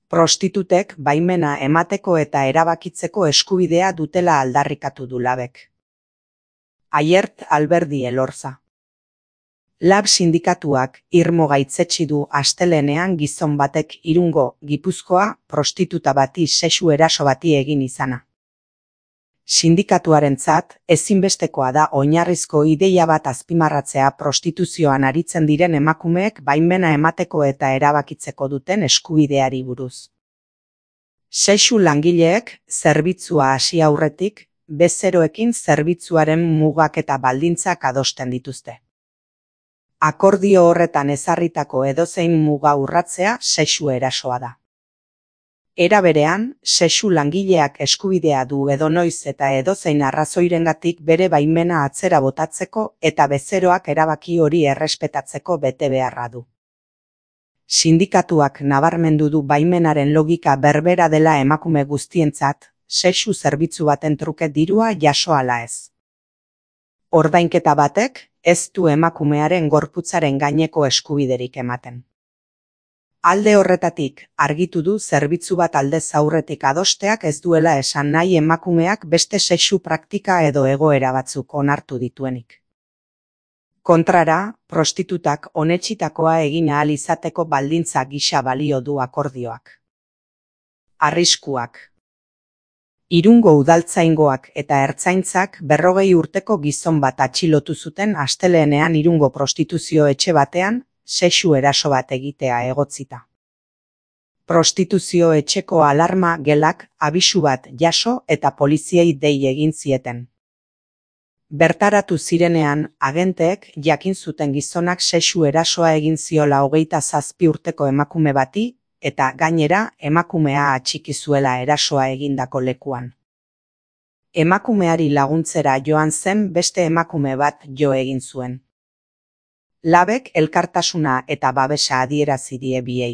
Prostitutek baimena emateko eta erabakitzeko eskubidea dutela aldarrikatu du Labek. Aiert Alberdi Elorza. Lab sindikatuak irmo gaitzetsi du astelehenean gizon batek Irungo, Gipuzkoa, prostituta bati sexu eraso bati egin izana. Sindikatuarentzat ezinbestekoa da oinarrizko ideia bat azpimarratzea prostituzioan aritzen diren emakumeek baimena emateko eta erabakitzeko duten eskubideari buruz. Sexu langileek zerbitzua hasi aurretik, bezeroekin zerbitzuaren mugak eta baldintzak adosten dituzte. Akordio horretan ezarritako edozein muga urratzea sexu erasoa da. Era berean, sexu langileak eskubidea du edonoiz eta edozein arrazoirengatik bere baimena atzera botatzeko eta bezeroak erabaki hori errespetatzeko betebeharra du. Sindikatuak nabarmendu du baimenaren logika berbera dela emakume guztientzat, sexu zerbitzu baten truke dirua jaso ala ez. Ordainketa batek ez du emakumearen gorputzaren gaineko eskubiderik ematen. Alde horretatik, argitu du zerbitzu bat aldez aurretik adosteak ez duela esan nahi emakumeak beste sexu praktika edo egoera batzuk onartu dituenik. Kontrara, prostitutak onetsitakoa egin ahal izateko baldintza gisa balio du akordioak. Arriskuak. Irungo udaltzaingoak eta ertzaintzak 40 urteko gizon bat atxilotu zuten asteleenean Irungo prostituzio etxe batean, sexu eraso bat egitea egotzita. Prostituzio etxeko alarma gelak abisu bat jaso eta poliziei dei egin zieten. Bertaratu zirenean, agenteek jakin zuten gizonak sexu erasoa egin ziola 27 urteko emakume bati, eta gainera emakumea atxiki zuela erasoa egindako lekuan. Emakumeari laguntzera joan zen beste emakume bat jo egin zuen. Labek elkartasuna eta babesa adierazi die biei.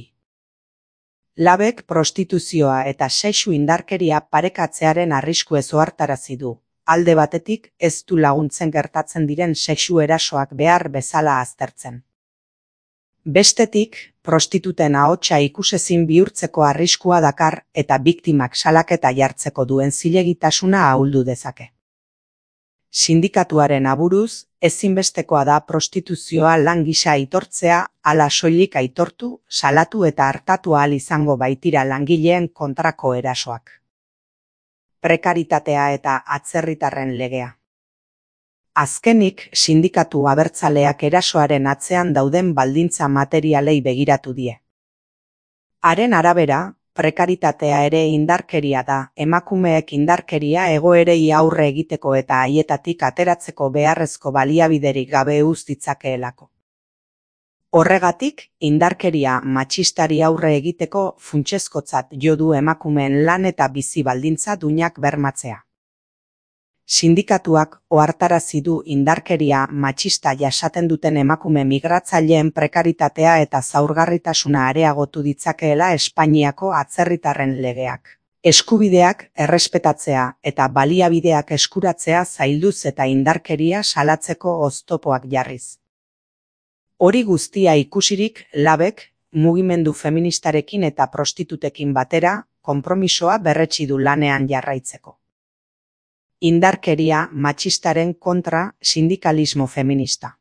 Labek prostituzioa eta sexu indarkeria parekatzearen arriskue ohartarazi du. Alde batetik ez du laguntzen gertatzen diren sexu erasoak behar bezala aztertzen. Bestetik, prostituten ahotsa ikusezin bihurtzeko arriskua dakar eta biktimak salaketa jartzeko duen zilegitasuna ahuldu dezake. Sindikatuaren aburuz, ezinbestekoa da prostituzioa lan gisa aitortzea, hala soilik aitortu, salatu eta artatu ahal izango baitira langileen kontrako erasoak. Prekaritatea eta atzerritarren legea. Azkenik, sindikatu abertzaleak erasoaren atzean dauden baldintza materialei begiratu die. Haren arabera, prekaritatea ere indarkeria da, emakumeek indarkeria egoerei aurre egiteko eta haietatik ateratzeko beharrezko baliabiderik gabe uz ditzakeelako. Horregatik, indarkeria matxistari aurre egiteko funtsezkotzat jo du emakumeen lan eta bizi baldintza duinak bermatzea. Sindikatuak ohartarazi du indarkeria matxista jasaten duten emakume migratzaileen prekaritatea eta zaurgarritasuna areagotu ditzakeela Espainiako atzerritarren legeak. Eskubideak errespetatzea eta baliabideak eskuratzea zailduz eta indarkeria salatzeko oztopoak jarriz. Hori guztia ikusirik, Labek, mugimendu feministarekin eta prostitutekin batera, konpromisoa berretsi du lanean jarraitzeko. Indarkeria matxistaren kontra sindikalismo feminista.